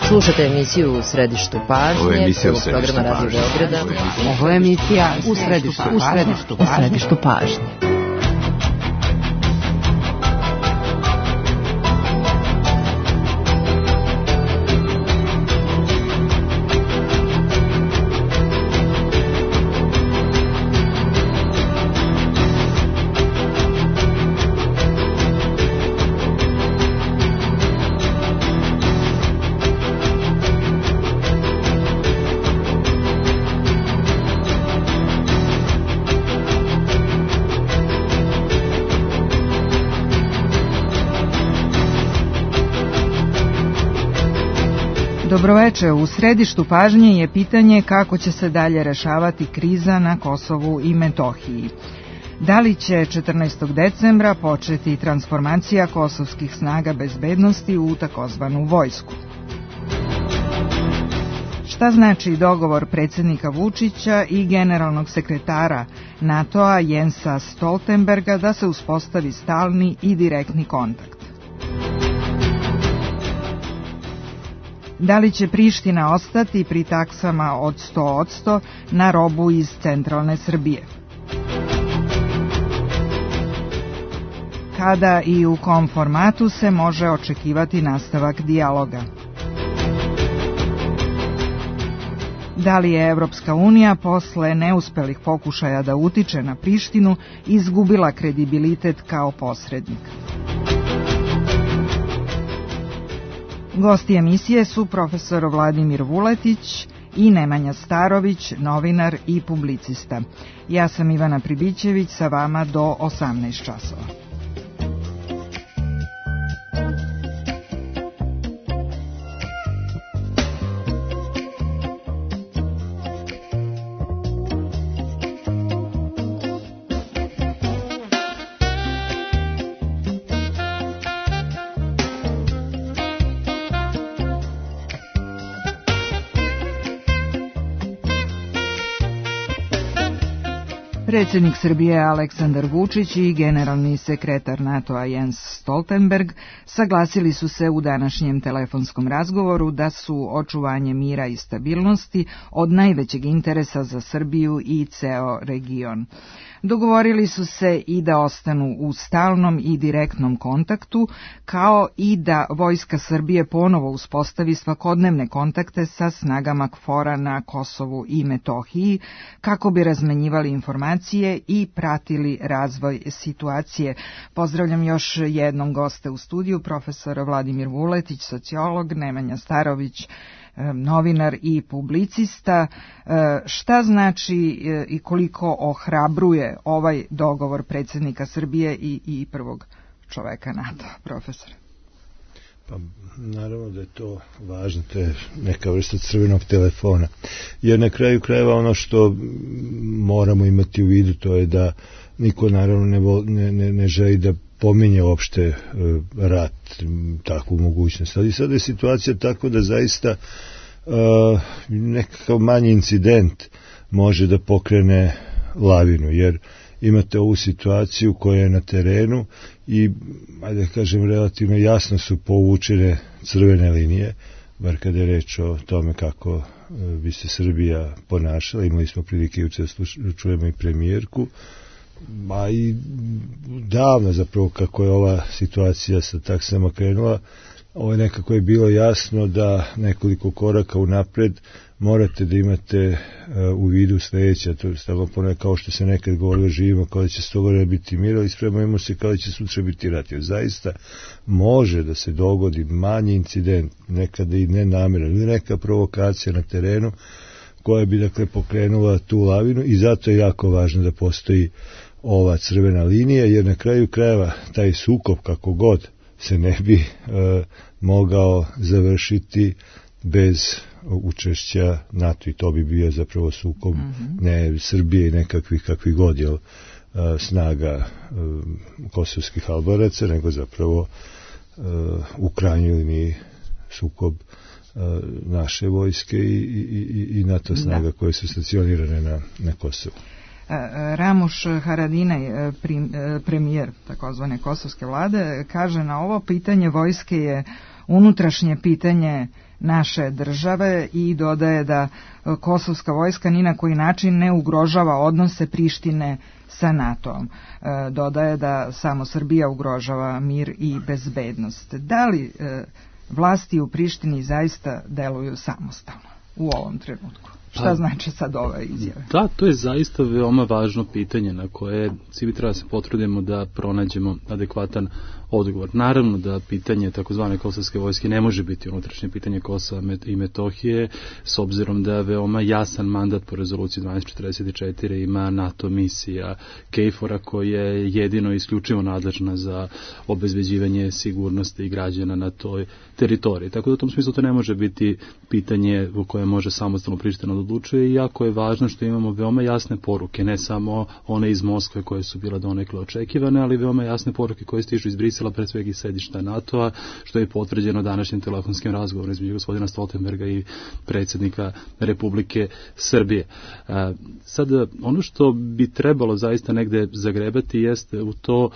Slušate emisiju U središtu pažnje, prvog programa Radio Beograda. Ovo je emisija U središtu pažnje. Dobroveče, u središtu pažnje je pitanje kako će se dalje rešavati kriza na Kosovu i Metohiji. Da li će 14. decembra početi transformacija kosovskih snaga bezbednosti u takozvanu vojsku? Šta znači dogovor predsjednika Vučića i generalnog sekretara NATO-a Jensa Stoltenberga da se uspostavi stalni i direktni kontakt? Da li će Priština ostati pri taksama od 100% na robu iz centralne Srbije? Kada i u kom formatu se može očekivati nastavak dijaloga? Da li je Evropska unija posle neuspelih pokušaja da utiče na Prištinu izgubila kredibilitet kao posrednik? Gosti emisije su profesor Vladimir Vuletić i Nemanja Starović, novinar i publicista. Ja sam Ivana Pribićević, sa vama do 18 časova. Predsjednik Srbije Aleksandar Vučić i generalni sekretar NATO-a Jens Stoltenberg saglasili su se u današnjem telefonskom razgovoru da su očuvanje mira i stabilnosti od najvećeg interesa za Srbiju i ceo region. Dogovorili su se i da ostanu u stalnom i direktnom kontaktu, kao i da Vojska Srbije ponovo uspostavi svakodnevne kontakte sa snagama KFOR-a na Kosovu i Metohiji, kako bi razmenjivali informacije i pratili razvoj situacije. Pozdravljam još jednom goste u studiju, profesor Vladimir Vuletić, sociolog, Nemanja Starović, novinar i publicista. Šta znači i koliko ohrabruje ovaj dogovor predsjednika Srbije i prvog čoveka NATO, profesor? Pa naravno da je to važno, to je neka vrsta crvenog telefona. Jer na kraju krajeva ono što moramo imati u vidu to je da niko naravno ne želi da pominje uopšte rat, takvu mogućnost. Ali sada je situacija tako da zaista nekakav manji incident može da pokrene lavinu, jer imate ovu situaciju koja je na terenu i, ajde da kažem, relativno jasno su povučene crvene linije, bar kada je reč o tome kako bi se Srbija ponašala. Imali smo prilike juče da čujemo i premijerku, a i davno zapravo kako je ova situacija sa taksama krenula, ovo je nekako je bilo jasno da nekoliko koraka unapred morate da imate u vidu sljedeće, to je stavno ponekad kao što se nekad govorilo, živimo kao da će 100 godina biti mir, ali spremamo se kao da će sutra biti rat. Jer zaista može da se dogodi manji incident, nekada i nenamjeran, ili neka provokacija na terenu koja bi dakle pokrenula tu lavinu, i zato je jako važno da postoji ova crvena linija, jer na kraju krajeva taj sukob kako god se ne bi mogao završiti bez učešća NATO, i to bi bio zapravo sukob ne Srbije i nekakvih kakvih god snaga kosovskih Albanaca, nego zapravo u krajnjoj liniji sukob naše vojske i NATO snaga koje su stacionirane na Kosovu. Ramuš Haradinaj, premijer takozvane kosovske vlade, kaže na ovo: pitanje vojske je unutrašnje pitanje naše države, i dodaje da kosovska vojska ni na koji način ne ugrožava odnose Prištine sa NATO-om. Dodaje da samo Srbija ugrožava mir i bezbednost. Da li vlasti u Prištini zaista deluju samostalno u ovom trenutku? Šta znači sad ove izjave? Da, to je zaista veoma važno pitanje na koje svi treba se potrudimo da pronađemo adekvatan odgovor. Naravno da pitanje takozvane kosovske vojske ne može biti unutrašnje pitanje Kosova i Metohije, s obzirom da je veoma jasan mandat po rezoluciji 1244 ima NATO misija KFOR-a koja je jedino isključivo nadležna za obezbeđivanje sigurnosti i građana na toj teritoriji. Tako da u tom smislu to ne može biti pitanje u koje može samostalno Priština da odlučuje, i jako je važno što imamo veoma jasne poruke, ne samo one iz Moskve koje su bile donekle očekivane, ali veoma jasne poruke koje stižu iz Brisela, pred svega iz sedišta NATO-a, što je potvrđeno današnjim telefonskim razgovorom između gospodina Stoltenberga i predsjednika Republike Srbije. Sada, ono što bi trebalo zaista negde zagrebati jeste u to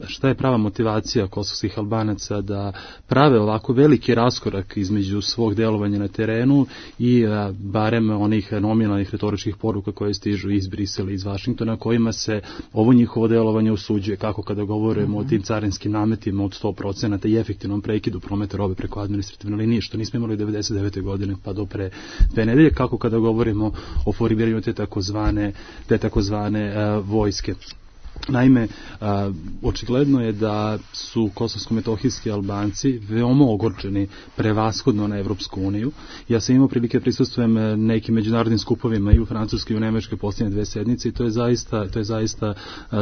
šta je prava motivacija kosovskih Albanaca da prave ovako veliki raskorak između svog delovanja na terenu i barem onih nominalnih retoričkih poruka koje stižu iz Brisela i iz Vašingtona, kojima se ovo njihovo delovanje osuđuje, kako kada govorimo o tim carinskim nametima od 100% i efektivnom prekidu prometa robe preko administrativne linije, što nismo imali 99. godine pa do pre 2 nedelje, kako kada govorimo o formiranju te takozvane vojske. Naime, očigledno je da su kosovsko-metohijski Albanci veoma ogorčeni prevashodno na Evropsku uniju. Ja sam imao prilike prisustvujem nekim međunarodnim skupovima i u Francuskoj i u Nemačkoj posljednje 2 sedmice, i to je zaista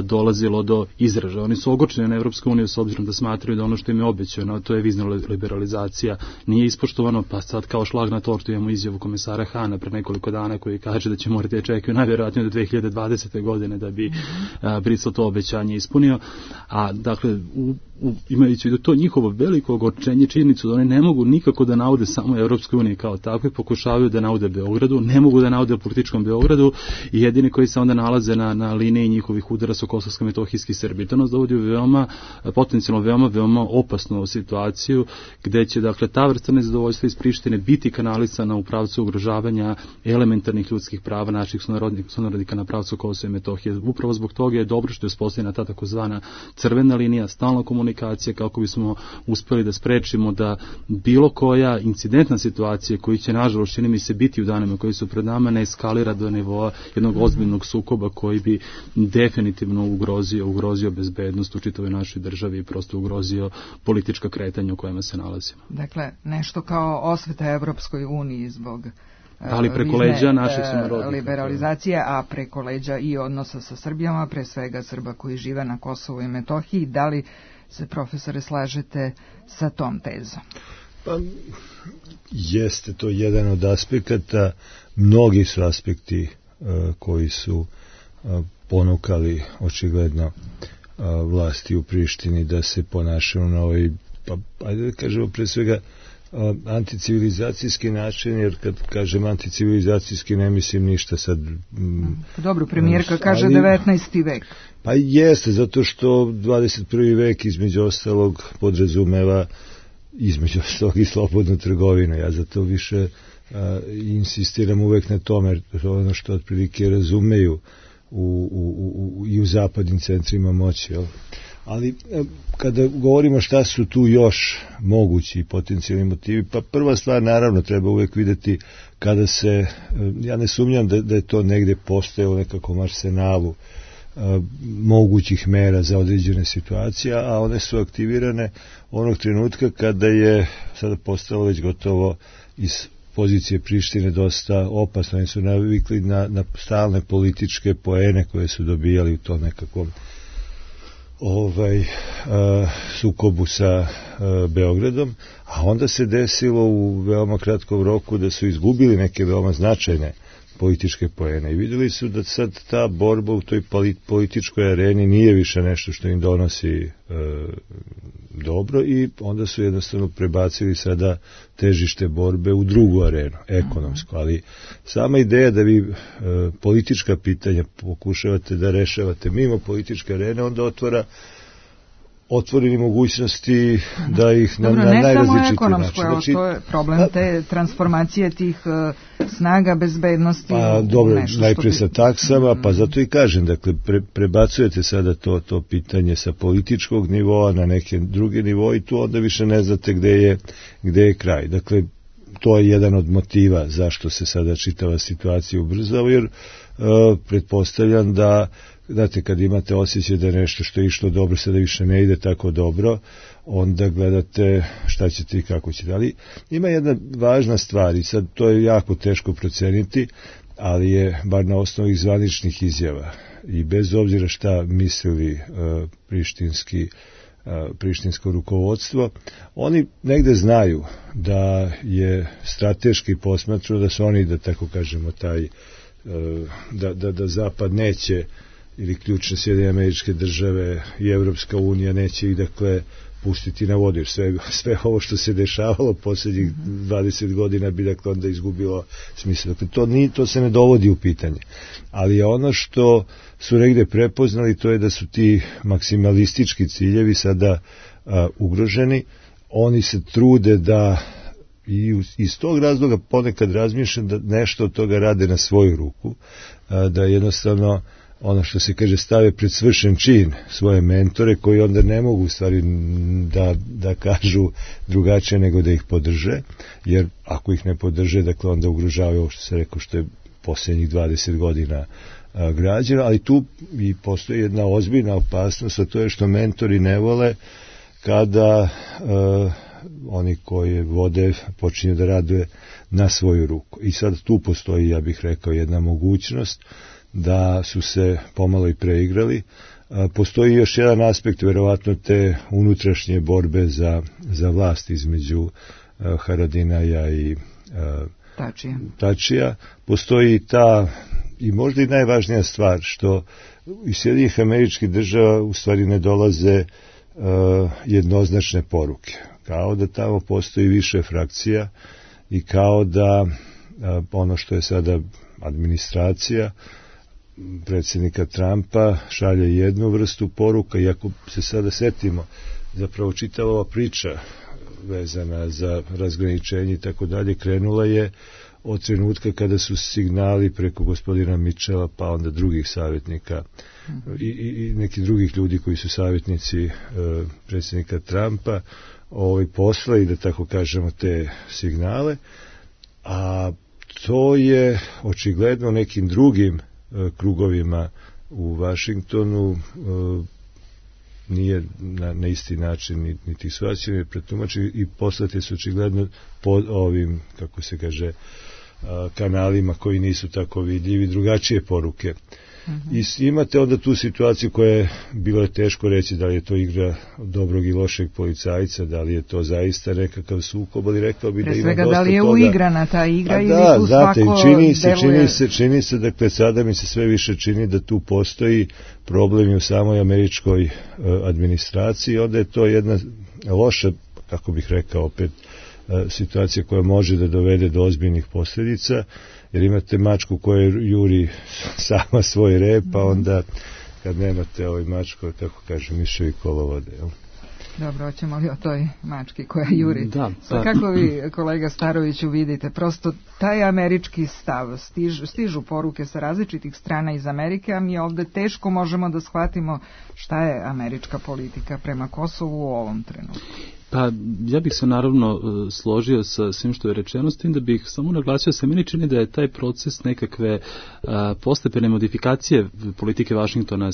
dolazilo do izražaja. Oni su ogorčeni na Evropsku uniju s obzirom da smatraju da ono što im je obećano, to je vizna liberalizacija, nije ispoštovano, pa sad kao šlag na tortu imamo izjavu komesara Hana pre nekoliko dana koji kaže da će morati da čekaju najvjerojatnije do 2020. godine da bi Brisel to obećanje ispunio, a dakle imajući u vidu to njihovo veliko ogorčenje, činjenicu da oni ne mogu nikako da naude samo Evropskoj uniji kao takve, pokušavaju da naude Beogradu, ne mogu da naude političkom Beogradu, i jedini koji se onda nalaze na liniji njihovih udara su kosovsko-metohijski Srbi. To nas dovodi u potencijalno veoma opasnu situaciju, gde će dakle ta vrsta nezadovoljstva iz Prištine biti kanalisana u pravcu ugrožavanja elementarnih ljudskih prava naših sunarodnika na pravcu Kosova i Metohije. Upravo zbog toga je dobro što je uspostavljena ta takozvana crvena linija, stalna komunikacija, kako bismo uspeli da sprečimo da bilo koja incidentna situacija koji će nažalost čini mi se biti u danima koji su pred nama ne eskalira do nivoa jednog ozbiljnog sukoba koji bi definitivno ugrozio bezbednost u čitavoj našoj državi i prosto ugrozio politička kretanja u kojima se nalazimo. Dakle, nešto kao osveta Evropskoj uniji zbog ali preko leđa naših sunarodnika. Liberalizacije, a preko leđa i odnosa sa Srbijama, pre svega Srba koji žive na Kosovu i Metohiji. Da li se, profesore, slažete sa tom tezom? Pa, jeste to jedan od aspekata. Mnogi su aspekti koji su ponukali očigledno vlasti u Prištini da se ponašaju na ovaj, pa ajde da kažemo pre svega anticivilizacijski način, jer kad kažem anticivilizacijski ne mislim ništa sad. Dobro, premijerka kaže 19. vek. Pa jeste, zato što 21. vek između ostalog podrazumeva između ostalog i slobodnu trgovinu. Ja zato više insistiram uvek na tome, jer to je ono što otprilike razumeju i u zapadnim centrima moći, jel? Ali kada govorimo šta su tu još mogući potencijalni motivi, pa prva stvar naravno treba uvek videti kada se, ja ne sumnjam da je to negde postojalo nekakvom arsenalu mogućih mera za određene situacije, a one su aktivirane onog trenutka kada je sada postalo već gotovo iz pozicije Prištine dosta opasno. Oni su navikli na stalne političke poene koje su dobijali u tom nekakvom sukobu sa Beogradom, a onda se desilo u veoma kratkom roku da su izgubili neke veoma značajne političke poene i vidjeli su da sad ta borba u toj političkoj areni nije više nešto što im donosi dobro i onda su jednostavno prebacili sada težište borbe u drugu arenu, ekonomsku, ali sama ideja da vi politička pitanja pokušavate da rešavate mimo političke arene, onda otvoreni mogućnosti da ih na najrazličitiji način. Znači, to je problem te transformacije tih snaga bezbednosti. Pa dobro, najprije sa taksama, pa zato i kažem, dakle, prebacujete sada to pitanje sa političkog nivoa na neke druge nivoje i tu onda više ne znate gde je kraj. Dakle, to je jedan od motiva zašto se sada čitava situacija ubrzava, jer pretpostavljam da, znate, kad imate osjećaj da nešto što je išlo dobro sada više ne ide tako dobro, onda gledate šta ćete i kako ćete. Ali ima jedna važna stvar i sad to je jako teško proceniti, ali je bar na osnovu zvaničnih izjava i bez obzira šta mislili prištinsko rukovodstvo, oni negde znaju da je strateški posmatrano da su oni, da tako kažemo, da Zapad neće, ili ključne Sjedinjene Američke Države i Evropska unija neće ih, dakle, pustiti na vodu, jer sve ovo što se dešavalo posljednjih 20 godina bi, dakle, onda izgubilo smisla. Dakle, to se ne dovodi u pitanje. Ali je ono što su negde prepoznali, to je da su ti maksimalistički ciljevi sada ugroženi. Oni se trude da i iz tog razloga ponekad razmišljam da nešto od toga rade na svoju ruku, da jednostavno ono što se kaže stave pred svršen čin svoje mentore koji onda ne mogu u stvari da kažu drugačije nego da ih podrže, jer ako ih ne podrže, dakle onda ugrožavaju ovo što se rekao što je posljednjih 20 godina građeno, ali tu i postoji jedna ozbiljna opasnost, a to je što mentori ne vole kada oni koji vode počinju da rade na svoju ruku. I sad tu postoji, ja bih rekao, jedna mogućnost da su se pomalo i preigrali. Postoji još jedan aspekt, verovatno, te unutrašnje borbe za vlast između Haradinaja i Tačija. Postoji ta, i možda i najvažnija stvar, što iz Sjedinjenih Američkih Država u stvari ne dolaze jednoznačne poruke. Kao da tamo postoji više frakcija i kao da ono što je sada administracija predsjednika Trumpa šalje jednu vrstu poruka, i ako se sada setimo, zapravo čitava ova priča vezana za razgraničenje i tako dalje krenula je od trenutka kada su signali preko gospodina Mitchella, pa onda drugih savjetnika i neki drugih ljudi koji su savjetnici predsjednika Trumpa poslali, da tako kažemo, te signale, a to je očigledno nekim drugim krugovima u Vašingtonu nije na isti način niti shvaćeni, pretumačeni i poslati su očigledno po ovim, kako se kaže, kanalima koji nisu tako vidljivi, drugačije poruke. I imate onda tu situaciju koja je bilo je teško reći da li je to igra dobrog i lošeg policajca, da li je to zaista nekakav sukob, ali rekao bi da ima dosta toga. Da li je uigrana ta igra ili tu znate, svako čini se, dakle, sada mi se sve više čini da tu postoji problem u samoj američkoj administraciji, onda je to jedna loša, kako bih rekao, opet situacija koja može da dovede do ozbiljnih posljedica, jer imate mačku koja juri sama svoj rep, pa onda kad nemate mačku, tako kaže, miševi kolovode. Dobro, hoćemo li o toj mački koja juri? Da, pa. Kako vi, kolega Staroviću, vidite? Prosto taj američki stav, stižu poruke sa različitih strana iz Amerike, a mi ovdje teško možemo da shvatimo šta je američka politika prema Kosovu u ovom trenutku. Pa ja bih se naravno složio sa svim što je rečeno, s tim da bih samo naglasio se meni čini da je taj proces nekakve postepene modifikacije politike Vašingtona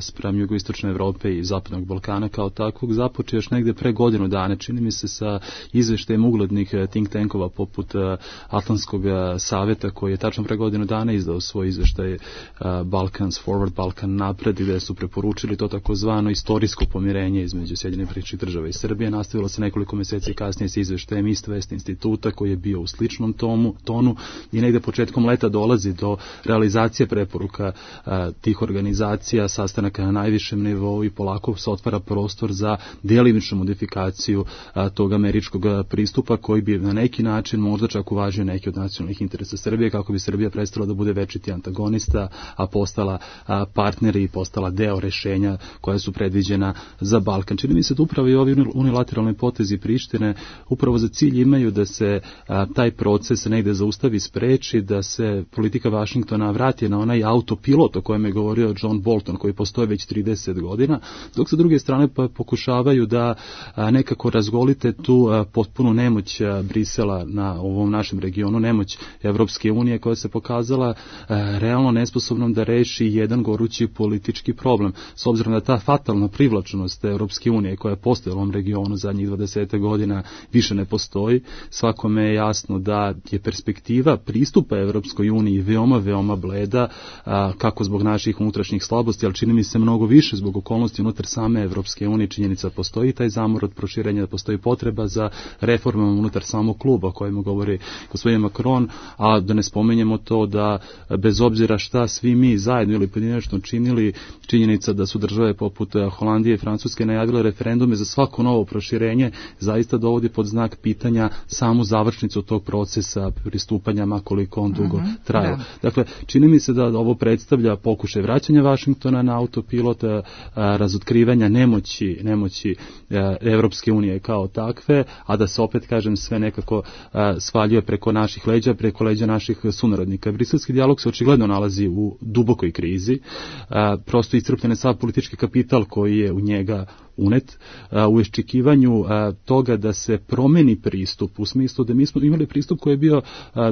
spram jugoistočne Evrope i zapadnog Balkana kao takvog započeo još negde pre godinu dana, čini mi se, sa izveštajem uglednih think tankova poput Atlantskog saveta koji je tačno pre godinu dana izdao svoj izveštaj Balkans Forward, Balkan napred, gde su preporučili to takozvano istorijsko pomirenje između Sjedinjenih Američkih Država i Srbije, nastavili nastavilo se nekoliko meseci kasnije sa izveštajem East West instituta koji je bio u sličnom tonu i negde početkom leta dolazi do realizacije preporuka tih organizacija, sastanaka na najvišem nivou i polako se otvara prostor za delimičnu modifikaciju tog američkog pristupa koji bi na neki način možda čak uvažio neki od nacionalnih interesa Srbije, kako bi Srbija prestala da bude večiti antagonista, a postala partner i postala deo rešenja koja su predviđena za Balkan. Čini mi se da upravo i ovi unilateralni potezi Prištine upravo za cilj imaju da se taj proces negde zaustavi, spreči, da se politika Vašingtona vrati na onaj autopilot o kojem je govorio John Bolton, koji postoje već 30 godina, dok sa druge strane pokušavaju da nekako razgolite tu potpunu nemoć Brisela na ovom našem regionu, nemoć Evropske unije koja se pokazala realno nesposobnom da reši jedan gorući politički problem. S obzirom da ta fatalna privlačnost Evropske unije koja je postojala u ovom regionu zadnjih 20 godina više ne postoji, svakome je jasno da je perspektiva pristupa Evropskoj uniji veoma bleda, kako zbog naših unutrašnjih slabosti, ali čini mi se mnogo više zbog okolnosti unutar same Evropske unije. Činjenica postoji taj zamor od proširenja, da postoji potreba za reformama unutar samog kluba o kojima govori gospodin Macron, a da ne spomenjemo to da bez obzira šta svi mi zajedno ili pojedinačno činili, činjenica da su države poput Holandije i Francuske najavile referendume za svako novo proširenje zaista dovodi pod znak pitanja samu završnicu tog procesa pristupanja, makoliko on dugo trajao. Da. Dakle, čini mi se da ovo predstavlja pokušaj vraćanja Vašingtona na autopilot, razotkrivanja nemoći Evropske unije kao takve, a da se opet, kažem, sve nekako svaljuje preko naših leđa, preko leđa naših sunarodnika. Briselski dijalog se očigledno nalazi u dubokoj krizi, prosto iscrpljen je sav politički kapital koji je u njega unet, u iščekivanju toga da se promeni pristup, u smislu da mi smo imali pristup koji je bio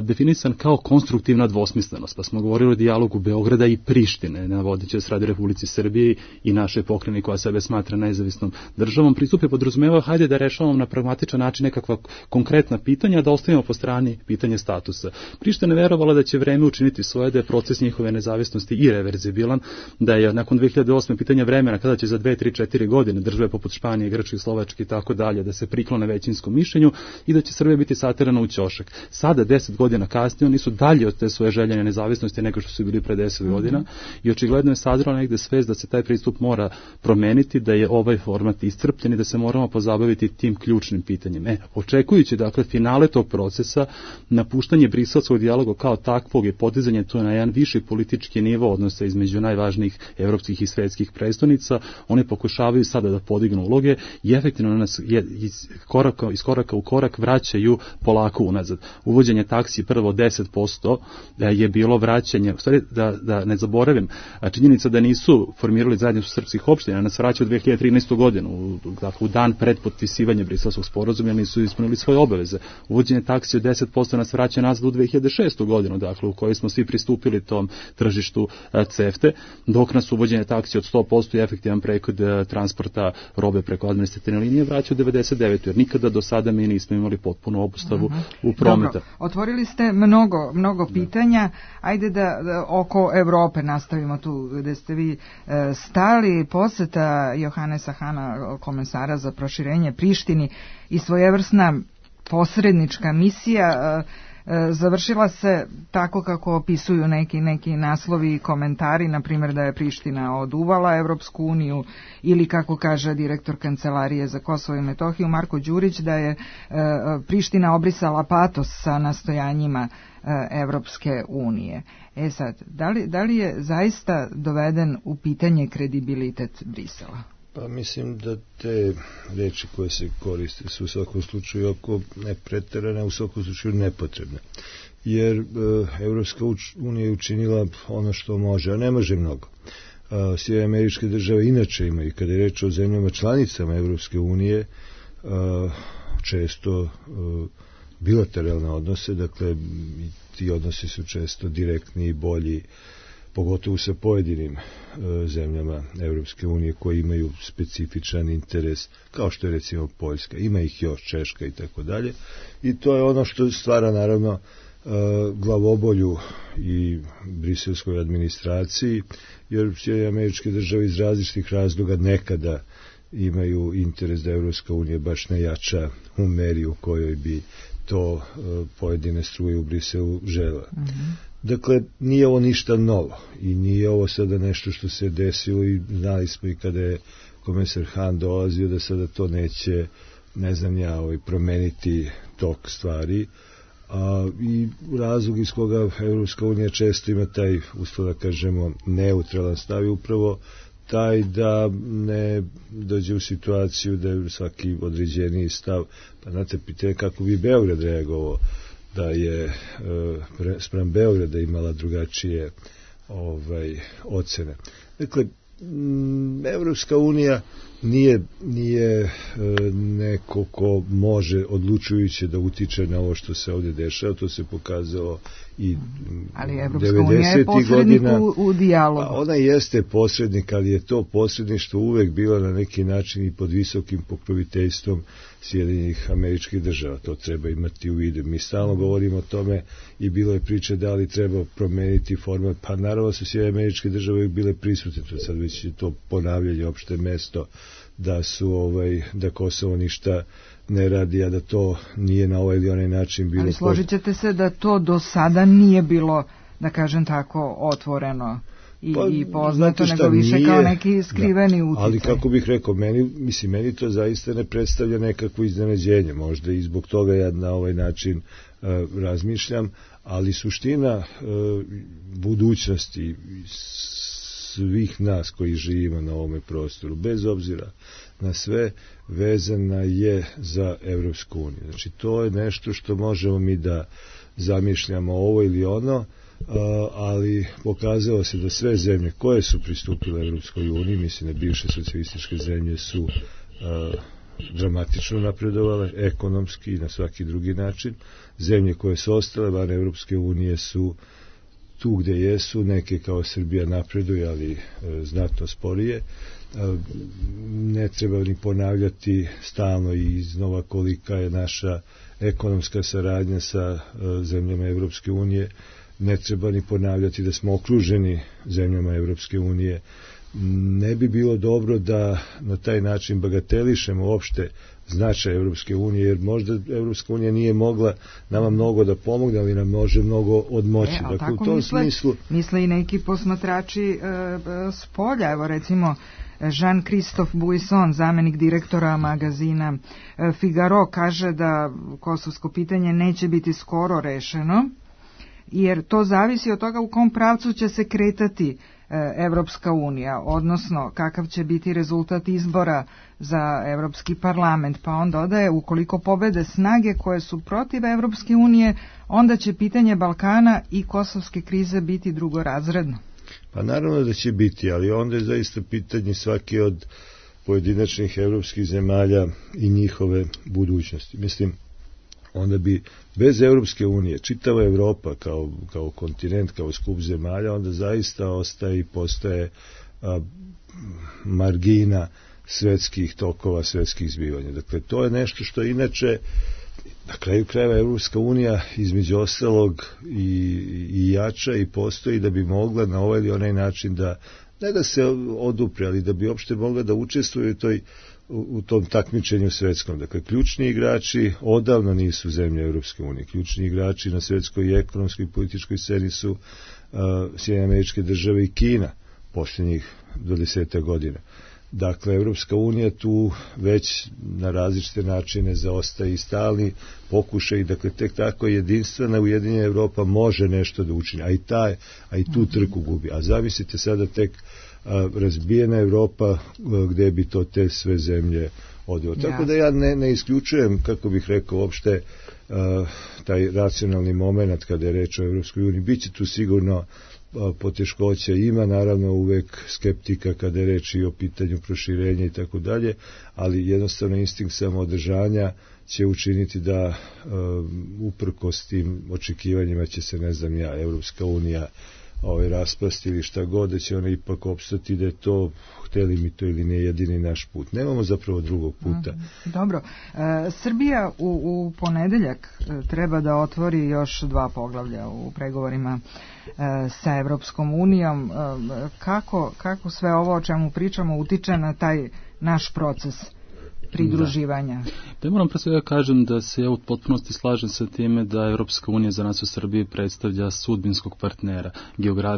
definisan kao konstruktivna dvosmislenost, pa smo govorili o dijalogu Beograda i Prištine, navodeći se radi Republici Srbije i naše pokrajine koja sebe smatra nezavisnom državom. Pristup je podrazumevao, hajde da rešavamo na pragmatičan način nekakva konkretna pitanja, da ostavimo po strani pitanje statusa. Priština je verovala da će vreme učiniti svoje, da je proces njihove nezavisnosti irreverzibilan, da je nakon 2008. pitanje vremena kada će za 2, 3, 4 godine države poput Španije, Grčke, Slovačke i tako dalje da se priklone većinskom mišljenju i da će Srbija biti saterana u ćošak. Sada, 10 godina kasnije, oni su dalje od te svoje željene nezavisnosti nego što su bili pre 10 godina i očigledno je sazrela negde svest da se taj pristup mora promeniti, da je ovaj format iscrpljen i da se moramo pozabaviti tim ključnim pitanjem. Očekujući, dakle, finale tog procesa, napuštanje briselskog dijaloga kao takvog i podizanje to na jedan viši politički nivo odnosa između najvažnijih evropskih i svetskih prestonica, oni pokušavaju sada da podignu uloge i efektivno nas iz koraka u korak vraćaju polako unazad. Uvođenje taksi prvo 10% je bilo vraćanje, u stvari da ne zaboravim, činjenica da nisu formirali zajednicu srpskih opština, nas vraća u 2013. godinu, dakle u dan pred potpisivanja Briselskog sporazuma, nisu ispunili svoje obaveze. Uvođenje taksi od 10% nas vraća nazad u 2006. godinu, dakle u kojoj smo svi pristupili tom tržištu CEFTA, dok nas uvođenje taksi od 100% i efektivan prekid transporta robe preko administrativne linije vraća u 99. jer nikada do sada mi nismo imali potpunu obustavu u prometa. Dobro, otvorili ste mnogo pitanja. Ajde da oko Evrope nastavimo tu gde ste vi stali. Poseta Johannesa Hana, komesara za proširenje Prištini i svojevrsna posrednička misija završila se tako kako opisuju neki naslovi i komentari, na primjer da je Priština oduvala Evropsku uniju ili kako kaže direktor Kancelarije za Kosovo i Metohiju Marko Đurić da je Priština obrisala patos sa nastojanjima Evropske unije. Sad, da li je zaista doveden u pitanje kredibilitet Brisela? Pa mislim da te reči koje se koriste su u svakom slučaju ako ne preterane, u svakom slučaju nepotrebne. Jer Evropska unija je učinila ono što može, a ne može mnogo. Sjedinjene Američke Države inače imaju, kada je reč o zemljama članicama Evropske unije, često bilateralne odnose, dakle ti odnosi su često direktni i bolji, pogotovo sa pojedinim zemljama Evropske unije koji imaju specifičan interes, kao što je recimo Poljska, ima ih još Češka i tako dalje. I to je ono što stvara naravno glavobolju i briselskoj administraciji, jer Sjedinjene Američke Države iz različitih razloga nekada imaju interes da Evropska unija baš ne jača u meri u kojoj bi to pojedine struje u Briselu žele. Dakle, nije ovo ništa novo i nije ovo sada nešto što se desilo i znali smo i kada je komesar Hahn dolazio da sada to neće, ne znam ja, promeniti tok stvari. I razlog iz koga Evropska unija često ima taj, uspio da kažemo, neutralan stav je upravo taj da ne dođe u situaciju da je svaki određeniji stav, pa znate, pitanje kako bi Beograd reagovao da je spram Beograda imala drugačije ocene. Dakle, Evropska unija nije neko ko može odlučujuće da utiče na ovo što se ovdje dešava, to se pokazalo i 90. godina. U dijalogu. Ona jeste posrednik, ali je to posredništvo uvek bilo na neki način i pod visokim pokroviteljstvom Sjedinjenih Američkih Država. To treba imati u vidu. Mi stalno govorimo o tome i bilo je priče da li treba promeniti format, pa naravno su Sjedinjene Američke Države uvek bile prisutne, to sad već je to ponavljanje opšte mesto da su da Kosovo ništa ne radi, a da to nije na ovaj ili onaj način bilo. Ali složit ćete se da to do sada nije bilo, da kažem tako, otvoreno i poznato, nego više nije, kao neki skriveni uticaj. Ali kako bih rekao, meni to zaista ne predstavlja nekakvo iznenađenje, možda i zbog toga ja na ovaj način razmišljam, ali suština budućnosti svih nas koji živimo na ovome prostoru, bez obzira na sve, vezana je za Evropsku uniju. Znači, to je nešto što možemo mi da zamišljamo ovo ili ono, ali pokazalo se da sve zemlje koje su pristupile Evropskoj uniji, mislim da bivše socijalističke zemlje su dramatično napredovale, ekonomski i na svaki drugi način. Zemlje koje su ostale van Evropske unije su tu gde jesu, neke kao Srbija napreduje, ali znatno sporije. Ne treba ni ponavljati stalno i iznova kolika je naša ekonomska saradnja sa zemljama Evropske unije. Ne treba ni ponavljati da smo okruženi zemljama Evropske unije. Ne bi bilo dobro da na taj način bagatelišemo uopšte značaj Evropske unije, jer možda Evropska unija nije mogla nama mnogo da pomogne, ali nam može mnogo odmoći. Dakle, u tom smislu misle i neki posmatrači s polja. Evo recimo Jean-Christophe Buisson, zamenik direktora magazina Figaro, kaže da kosovsko pitanje neće biti skoro rešeno, jer to zavisi od toga u kom pravcu će se kretati Evropska unija, odnosno kakav će biti rezultat izbora za Evropski parlament, pa on dodaje, ukoliko pobede snage koje su protiv Evropske unije, onda će pitanje Balkana i kosovske krize biti drugorazredno. Pa naravno da će biti, ali onda je zaista pitanje svake od pojedinačnih evropskih zemalja i njihove budućnosti. Mislim, onda bi bez Evropske unije čitava Evropa kao kontinent, kao skup zemalja, onda zaista ostaje i postaje margina svetskih tokova, svetskih zbivanja. Dakle, to je nešto što inače na kraju krajeva Evropska unija između ostalog i jača i postoji da bi mogla na ovaj ili onaj način da, ne da se odupre, ali da bi uopšte mogla da učestvuje u tom takmičenju svetskom. Dakle, ključni igrači odavno nisu zemlje Evropske unije. Ključni igrači na svetskoj i ekonomskoj i političkoj sceni su Sjedinjene Američke Države i Kina posljednjih 20 godina. Dakle, Evropska unija tu već na različite načine zaostaje i stalni pokušaj, dakle, tek tako jedinstvena ujedinjena Evropa može nešto da učini, a i tu trku gubi. A zamislite sada tek razbijena Evropa gde bi to te sve zemlje odvelo. Tako da ja ne isključujem, kako bih rekao, uopšte taj racionalni moment kada je reč o Evropskoj uniji. Biće tu sigurno poteškoća, ima naravno uvek skeptika kada je reč i o pitanju proširenja i tako dalje, ali jednostavno instinkt samoodržanja će učiniti da uprkos tim očekivanjima će se, ne znam ja, Evropska unija raspasti ili šta god, da će ona ipak opstati, da je to, hteli mi to ili ne, jedini naš put. Nemamo zapravo drugog puta. Dobro. Srbija u ponedeljak treba da otvori još 2 poglavlja u pregovorima sa Evropskom unijom. Kako sve ovo o čemu pričamo utiče na taj naš proces pridruživanja. Da moram pre svega kažem da se ja u potpunosti slažem sa time da Evropska unija za nas u Srbiji predstavlja sudbinskog partnera.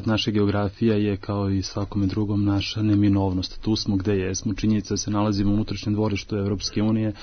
Naša geografija je kao i svakome drugom naša neminovnost. Tu smo gde jesmo. Činjenica se nalazimo u unutrašnjem dvorištu Evropske unije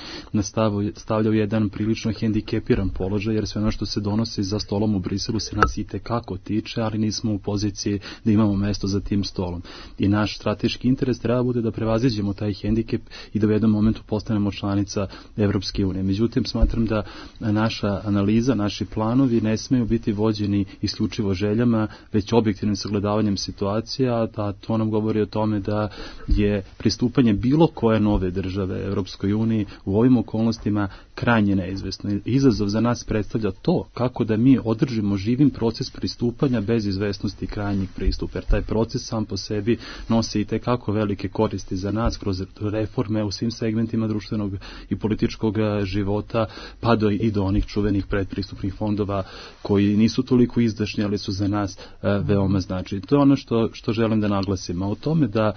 stavlja u jedan prilično hendikepiran položaj, jer sve ono što se donosi za stolom u Briselu se nas i tekako tiče, ali nismo u poziciji da imamo mesto za tim stolom. I naš strateški interes treba bude da prevaziđemo taj hendikep i da u jednom momentu postanemo članica Evropske unije. Međutim, smatram da naša analiza, naši planovi ne smeju biti vođeni isključivo željama, već objektivnim sagledavanjem situacija, a to nam govori o tome da je pristupanje bilo koje nove države Evropskoj uniji u ovim okolnostima krajnje neizvesno. Izazov za nas predstavlja to kako da mi održimo živim proces pristupanja bez izvesnosti krajnjih pristupa, jer taj proces sam po sebi nosi i tekako velike koristi za nas kroz reforme u svim segmentima društvenog i političkog života, pa i do onih čuvenih predpristupnih fondova koji nisu toliko izdašni, ali su za nas veoma značajni. To je ono što želim da naglasim. A o tome da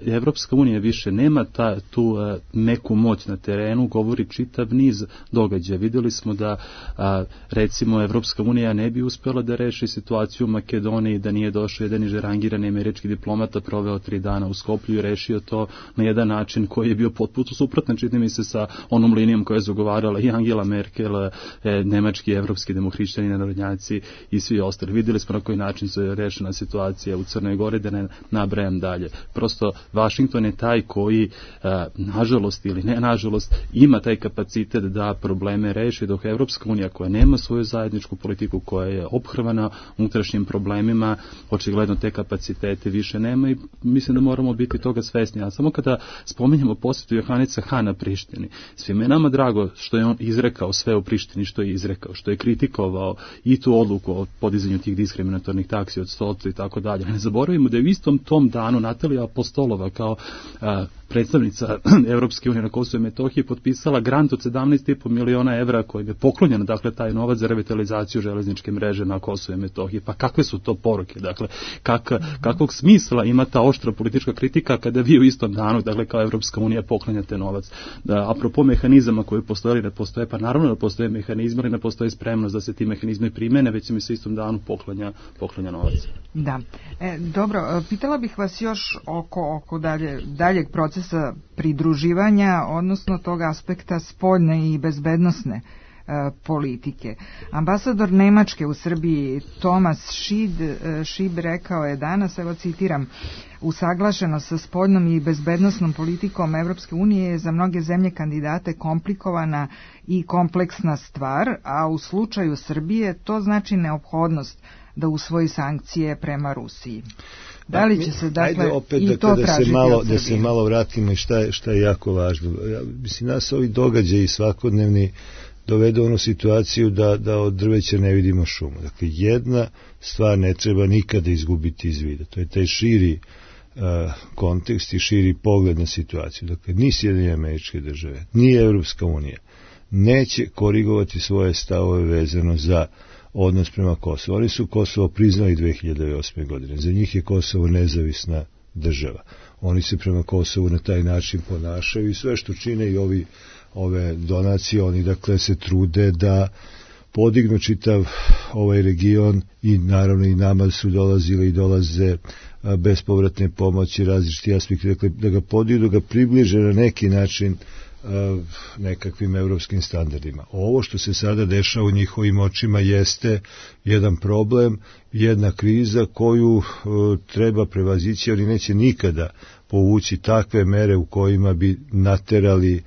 Evropska unija više nema tu neku moć na terenu, govori čitav niz događaja. Vidjeli smo da recimo Evropska unija ne bi uspjela da reši situaciju u Makedoniji, da nije došao jedan nižerangirani američki diplomata, proveo 3 dana u Skoplju i rešio to na jedan način koji je bio potpuno suprotan, čini mi se, sa onom linijom koja je zagovarala i Angela Merkel, nemački, evropski demohrišćani, narodnjaci i svi ostali. Vidjeli smo na koji način se rešena situacija u Crnoj Gori, da ne nabrajam dalje. Prosto, Vašington je taj koji, nažalost ili ne nažalost, ima taj kapacitet da probleme reši, dok Evropska unija koja nema svoju zajedničku politiku, koja je ophrvana unutrašnjim problemima, očigledno te kapacitete više nema i mislim da moramo biti toga svesni. A samo kada spominjemo posjetu Johanica Hana Prištini, svima je nama drago što je on izrekao sve u Prištini što je izrekao, što je kritikovao i tu odluku o podizanju tih diskriminatornih taksi od 100 i tako dalje. Ne zaboravimo da je u istom tom danu Natalija Apostolova kao predstavnica Evropske unije na Kosovu i Metohiji potpisala grant od 17,5 miliona evra koji je poklonjen, dakle, taj novac za revitalizaciju železničke mreže na Kosovu i Metohiji. Pa kakve su to poruke? Dakle, kakvog smisla ima ta oštra politička kritika kada vi u istom danu, dakle, kao Evropska unija poklanjate novac? Apropo mehanizama koji postoje ili ne postoje, pa naravno da postoje mehanizmi, ali ne postoje spremnost da se ti mehanizmi primene, već mi se istom danu poklanja novac. Da. Dobro, pitala bih vas još oko daljeg procesa pridruživanja, odnosno tog aspekta spoljne i bezbednosne politike. Ambasador Nemačke u Srbiji Thomas Schieb rekao je danas, evo citiram, usaglašenost sa spoljnom i bezbednosnom politikom Evropske unije je za mnoge zemlje kandidate komplikovana i kompleksna stvar, a u slučaju Srbije to znači neophodnost da usvoji sankcije prema Rusiji. Da li će se, dakle, opet, i to tražiti od Srbije? Da se malo vratimo i šta je jako važno. Mislim, nas ovi događaji svakodnevni dovedu onu situaciju da od drveća ne vidimo šumu. Dakle, jedna stvar ne treba nikada izgubiti iz vida. To je taj širi kontekst i širi pogled na situaciju. Dakle, ni Sjedinjene Američke Države, ni Evropska unija neće korigovati svoje stavove vezano za odnos prema Kosovu. Oni su Kosovo priznali 2008. godine. Za njih je Kosovo nezavisna država. Oni se prema Kosovu na taj način ponašaju i sve što čine i ove donacije, oni dakle se trude da podignu čitav ovaj region i naravno i nama su dolazile i dolaze bespovratne pomoći, različiti aspekti, dakle da ga podignu, da ga približe na neki način nekakvim evropskim standardima. Ovo što se sada dešava u njihovim očima jeste jedan problem, jedna kriza koju treba prevazići, oni neće nikada povući takve mere u kojima bi naterali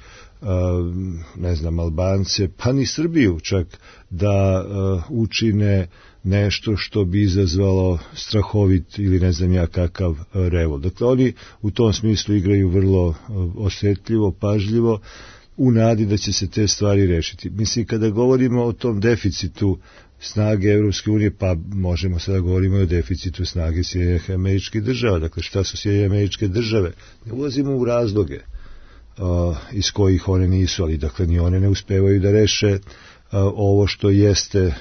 Albance, pa ni Srbiju čak da učine nešto što bi izazvalo strahovit ili ne znam ja kakav revolt. Dakle, oni u tom smislu igraju vrlo osjetljivo, pažljivo, u nadi da će se te stvari rešiti. Mislim, kada govorimo o tom deficitu snage Evropske unije, pa možemo sada govorimo o deficitu snage Sjedinjenih Američkih Država. Dakle, šta su Sjedinjene Američke Države? Ne ulazimo u razloge iz kojih one nisu, ali dakle ni one ne uspevaju da reše ovo što jeste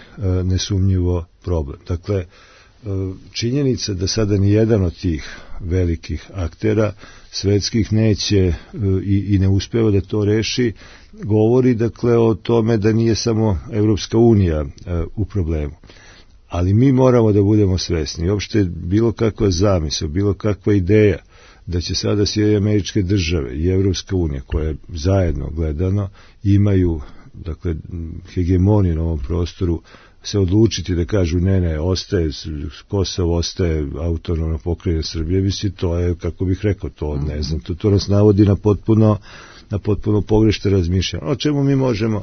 nesumnjivo problem. Dakle, činjenica da sada ni jedan od tih velikih aktera svetskih neće i ne uspeva da to reši, govori dakle o tome da nije samo Evropska unija u problemu. Ali mi moramo da budemo svesni. Uopšte bilo kakva zamisao, bilo kakva ideja da će sada Sjedinjene Američke Države i Evropska unija, koje zajedno gledano imaju dakle hegemoniju na ovom prostoru, se odlučiti da kažu ne, ostaje Kosovo, ostaje autonomna pokrajina Srbije, misli, to je, kako bih rekao, to ne znam, to nas navodi na potpuno pogrešno razmišljanje. O čemu mi možemo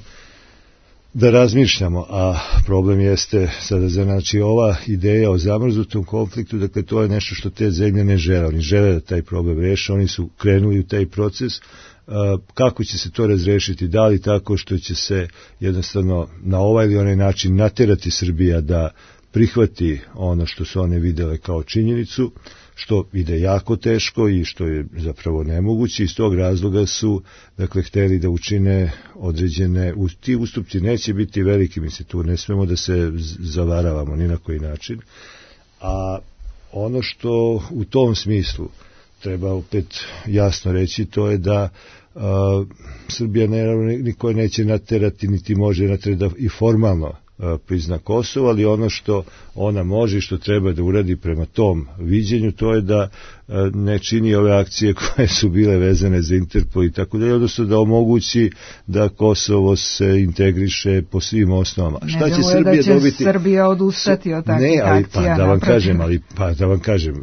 da razmišljamo, a problem jeste sada, znači ova ideja o zamrznutom konfliktu, dakle to je nešto što te zemlje ne žele, oni žele da taj problem reše, oni su krenuli u taj proces. Kako će se to razrešiti, da li tako što će se jednostavno na ovaj ili onaj način naterati Srbija da prihvati ono što su one videle kao činjenicu, što ide jako teško i što je zapravo nemoguće. Iz tog razloga su dakle hteli da učine određene, ti ustupci neće biti veliki, mislim, tu ne smemo da se zavaravamo ni na koji način, a ono što u tom smislu treba opet jasno reći, to je da Srbija niko neće naterati, niti može naterati da i formalno prizna Kosovo, ali ono što ona može i što treba da uradi prema tom viđenju, to je da ne čini ove akcije koje su bile vezane za Interpol i tako dalje, odnosno da omogući da Kosovo se integriše po svim osnovama. Šta će Srbija da dobiti? Srbija odustati od takvih akcija? Da vam kažem,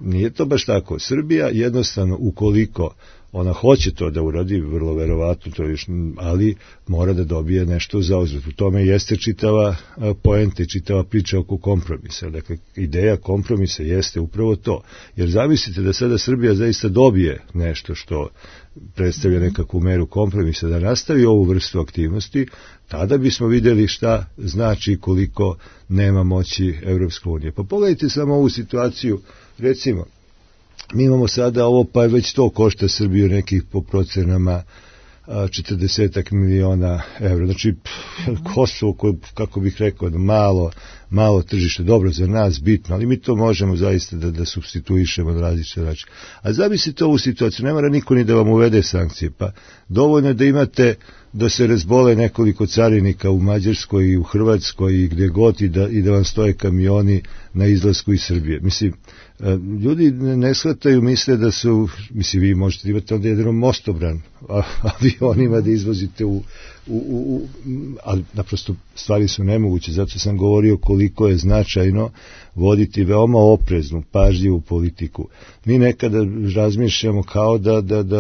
nije to baš tako. Srbija jednostavno, ukoliko ona hoće to da uradi, vrlo verovatno, to još, ali mora da dobije nešto za uzvrat. U tome jeste čitava poenta i čitava priča oko kompromisa. Dakle, ideja kompromisa jeste upravo to. Jer zamislite da sada Srbija zaista dobije nešto što predstavlja nekakvu meru kompromisa, da nastavi ovu vrstu aktivnosti, tada bismo vidjeli šta znači koliko nema moći Evropske unije. Pa pogledajte samo ovu situaciju, recimo, mi imamo sada ovo, pa već to košta Srbiju nekih po procenama 40 miliona evra. Znači, Kosovo, koje, kako bih rekao, malo tržište, dobro za nas, bitno, ali mi to možemo zaista da supstituišemo na različite načine. A zamislite ovu situaciju, ne mora niko ni da vam uvede sankcije, pa dovoljno je da imate da se razbole nekoliko carinika u Mađarskoj i u Hrvatskoj i gdje god i da vam stoje kamioni na izlasku iz Srbije. Mislim, ljudi ne shvataju, misle da su, mislim, vi možete imati onda jedan mostobran avionima da izvozite ali naprosto stvari su nemoguće, zato sam govorio koliko je značajno voditi veoma opreznu, pažljivu politiku. Mi nekada razmišljamo kao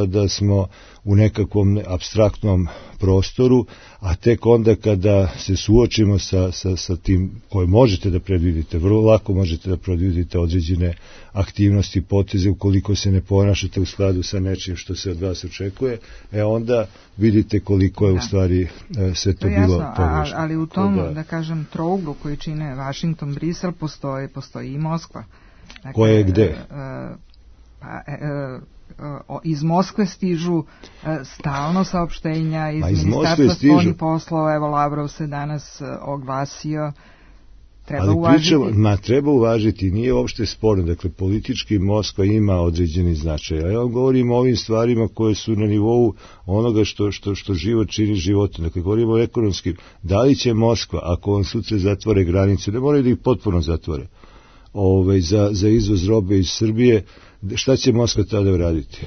da smo u nekakvom apstraktnom prostoru, a tek onda kada se suočimo sa tim koje možete da predvidite, vrlo lako možete da predvidite određene aktivnosti, poteze, ukoliko se ne ponašate u skladu sa nečim što se od vas očekuje, onda vidite koliko je u stvari sve to bilo pogrešno. Ali u tom, da kažem, trouglu koji čine Vašington, Brisel, postoji i Moskva. Dakle, koja je gde? Iz Moskve stižu stalno saopštenja iz Ministarstva spoljnih poslova. Evo, Lavrov se danas oglasio. Treba uvažiti, nije uopšte sporno. Dakle, politički Moskva ima određeni značaj. Ja vam govorim o ovim stvarima koje su na nivou onoga što život čini životom. Dakle, govorimo o ekonomskim. Da li će Moskva, ako vam sutra zatvore granicu, ne moraju da ih potpuno zatvore, za izvoz robe iz Srbije, šta će Moskva tada uraditi?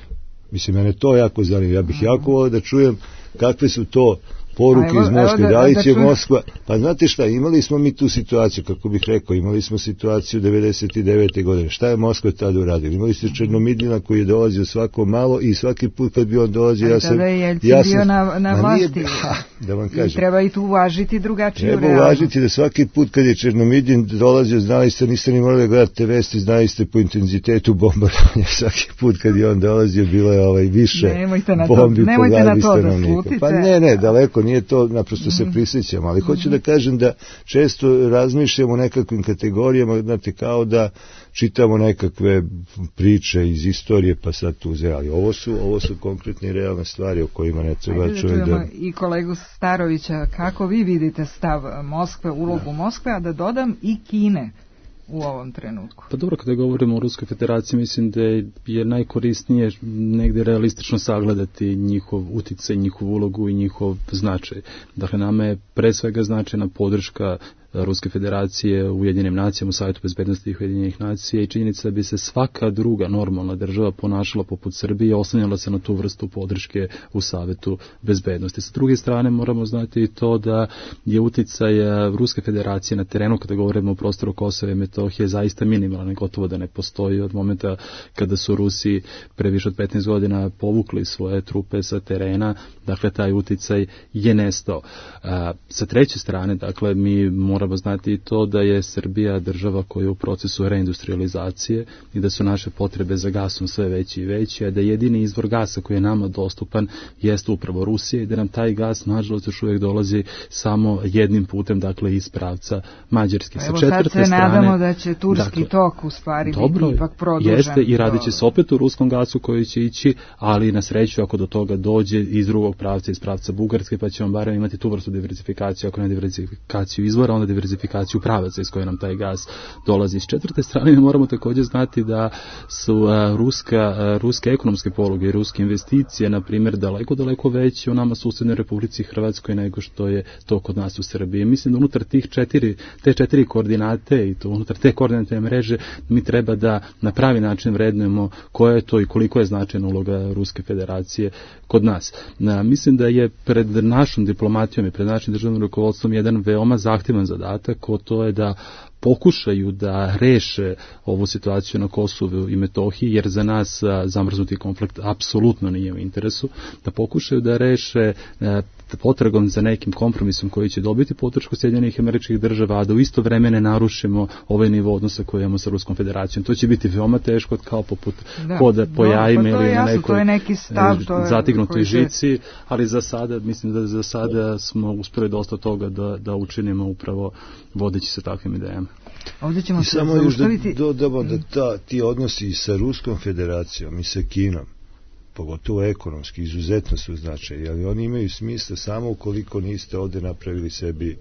Mislim, mene to jako zanima. Ja bih jako volio da čujem kakve su to poruke iz Moskve, da li će Moskva, pa znate šta, imali smo mi tu situaciju, kako bih rekao, imali smo situaciju 99. godine, šta je Moskva tada uradila? Imali ste Černomidljana koji je dolazio svako malo i svaki put kad bi on dolazio, ja sam bio na vlasti, da vam kažem, i treba i tu uvažiti drugačiju realnost. Treba uvažiti da svaki put kad je Černomidljan dolazio, znali ste, niste ni morali gledati vesti, znali ste po intenzitetu bombardovanja, svaki put kad je on dolazio bilo je više bombi po glavi stanovnika. Pa ne, daleko nije to, naprosto se prisjećamo, ali hoću da kažem da često razmišljamo o nekakvim kategorijama, znate, kao da čitamo nekakve priče iz istorije, pa sad tu ali ovo su konkretne i realne stvari o kojima ne treba čovjek da... I kolegu Starovića, kako vi vidite stav Moskve, ulogu Moskve, a da dodam i Kine. u ovom trenutku? Pa dobro, kada govorimo o Ruskoj federaciji, mislim da je najkorisnije negdje realistično sagledati njihov uticaj, njihovu ulogu i njihov značaj. Dakle, nama je pre svega značajna podrška Ruske federacije u Ujedinjenim nacijama, u Savjetu bezbednosti Ujedinjenih nacija i činjenica bi se svaka druga normalna država ponašala poput Srbije i oslanjala se na tu vrstu podrške u Savjetu bezbednosti. Sa druge strane moramo znati i to da je uticaj Ruske federacije na terenu, kada govorimo o prostoru Kosova i Metohije, zaista minimalan, gotovo da ne postoji od momenta kada su Rusi pre više od 15 godina povukli svoje trupe sa terena, dakle taj uticaj je nestao. Sa treće strane, dakle, mi moramo znati i to da je Srbija država koja je u procesu reindustrializacije i da su naše potrebe za gasom sve veći i veći, a da jedini izvor gasa koji je nama dostupan jeste upravo Rusija i da nam taj gas, nažalost, još uvijek dolazi samo jednim putem, dakle, iz pravca Mađarske. Evo sad se nadamo da će turski tok u stvari biti ipak produžen. Jeste i radit će se opet u ruskom gasu koji će ići, ali na sreću ako do toga dođe iz drugog pravca, iz pravca Bugarske, pa ćemo barem imati tu vrstu diversifikacije, ako ne diversifikaciju izvora, onda diversifikaciju pravaca iz koje nam taj gas dolazi. S četvrte strane mi moramo također znati da su ruske ekonomske poluge i ruske investicije, na primjer, daleko veće u nama susjednoj Republici Hrvatskoj nego što je to kod nas u Srbiji. Mislim da unutar te četiri koordinate i to unutar te koordinatne mreže mi treba da na pravi način vrednujemo koja je to i koliko je značajna uloga Ruske federacije kod nas. Mislim da je pred našom diplomatijom i pred našim državnim rukovodstvom jedan veoma zahtjevan zadatak, to je da pokušaju da reše ovu situaciju na Kosovu i Metohiji, jer za nas zamrznuti konflikt apsolutno nije u interesu, da pokušaju da reše potragom za nekim kompromisom koji će dobiti podršku Sjedinjenih Američkih Država, a da u isto vreme ne narušimo ovaj nivo odnosa koji imamo sa Ruskom federacijom. To će biti veoma teško, kao poput hoda po jajima ili na nekoj zatignutoj žici, ali za sada, mislim da za sada smo uspjeli dosta toga da učinimo upravo vodeći se takvim idejama. Ovdje ćemo se samo još dodamo da ti odnosi sa Ruskom federacijom i sa Kinom, pogotovo ekonomski, izuzetno su značajni, ali oni imaju smisla samo ukoliko niste ovdje napravili sebi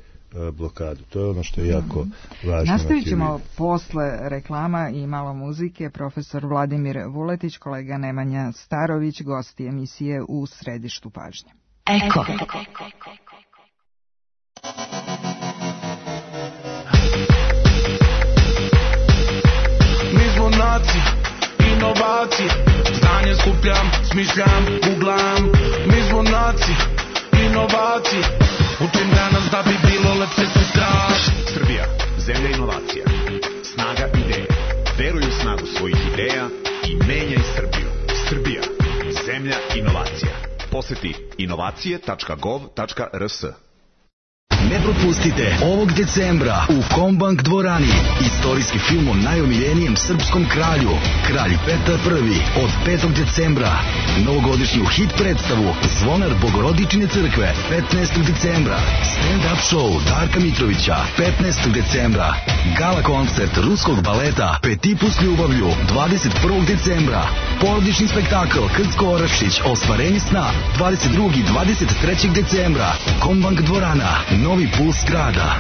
blokadu. To je ono što je jako važno. Nastavit ćemo posle reklama i malo muzike. Profesor Vladimir Vuletić, kolega Nemanja Starović, gosti emisije U središtu pažnje. Eko. Mi smo naci, inovacije, znanje skupljam, smišljam, googlam. Mi smo naci, inovacije, učim danas da bi bilo lepše sutra. Srbija, zemlja inovacija, snaga ideje. Veruj u snagu svojih ideja i menjaj Srbiju. Srbija, zemlja inovacija. Poseti inovacije.gov.rs. Ne propustite ovog decembra u Kombank dvorani istorijski film o najomiljenijem srpskom kralju, Kralj Petar I, od 5. decembra. Novogodišnju hit predstavu Zvonar Bogorodične crkve 15. decembra. Stand-up show Darka Mitrovića 15. decembra. Gala koncert ruskog baleta Petipu s ljubavlju 21. decembra. Porodični spektakl Krcko Orašić Ostvarenje sna 22. i 23. decembra. Kombank dvorana, novi puls grada.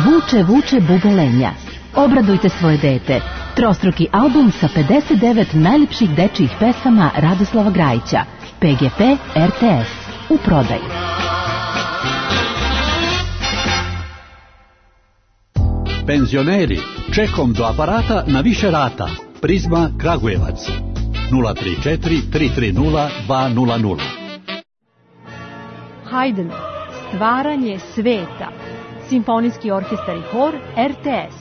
Vuče, vuče bubelenja. Obradujte svoje dete. Trostruki album sa 59 najljepših dečijih pesama Radoslava Grajića. PGP RTS. U prodaji. Penzioneri, čekom do aparata na više rata. Prizma Kragujevac. 034 330 200. Haydn, stvaranje sveta. Simfonijski orkestar i hor RTS.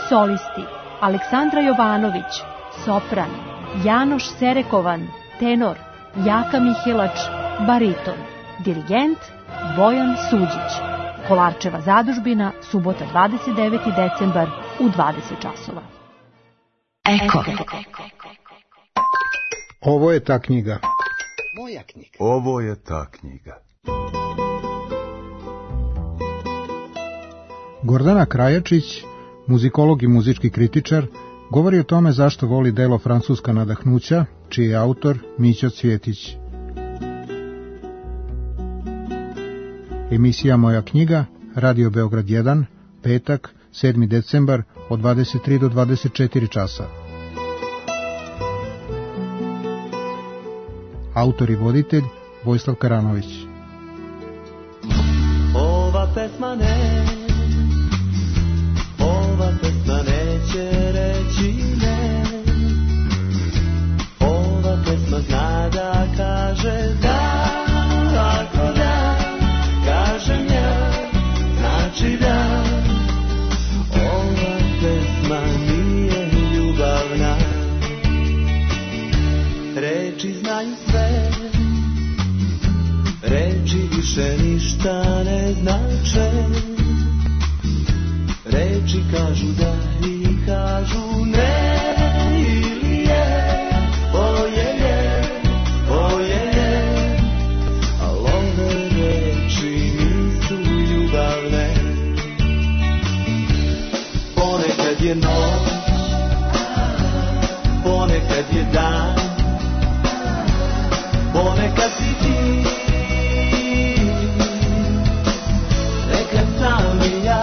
Solisti Aleksandra Jovanović, sopran, Janoš Serekovan, tenor, Jaka Mihelač, bariton, dirigent Bojan Suđić. Kolarčeva zadužbina, subota 29. decembar u 20 časova. Eko. Ovo je ta knjiga. Moja knjiga. Ovo je ta knjiga. Gordana Krajačić, muzikolog i muzički kritičar, govori o tome zašto voli delo Francuska nadahnuća, čiji je autor Mića Cvjetić. Emisija Moja knjiga, Radio Beograd 1, petak, 7. decembar, od 23 do 24 časa. Autor i voditelj Vojislav Karanović. Ova pesma neće reći ne. Ova pesma zna da kaže da. Ako da, kažem ja, znači da. Ova pesma nije ljubavna. Reči znaju sve, reči više ništa ne znače. Reči kažu da i kažu ne. Ili je, oje, al ove reči nisu ljubavne. Ponekad je noć, ponekad je dan, ponekad si ti, nekad sam i ja.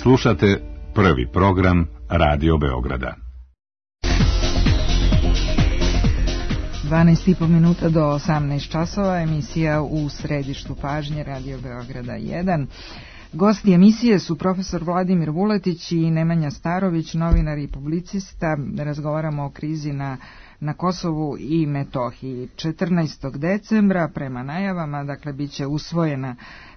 Slušate prvi program Radio Beograda. 12,5 minuta do 18 časova, emisija U središtu pažnje Radio Beograda 1. Gosti emisije su profesor Vladimir Vuletić i Nemanja Starović, novinar i publicista. Razgovaramo o krizi na Kosovu i Metohiji. 14. decembra, prema najavama, dakle, bit će usvojena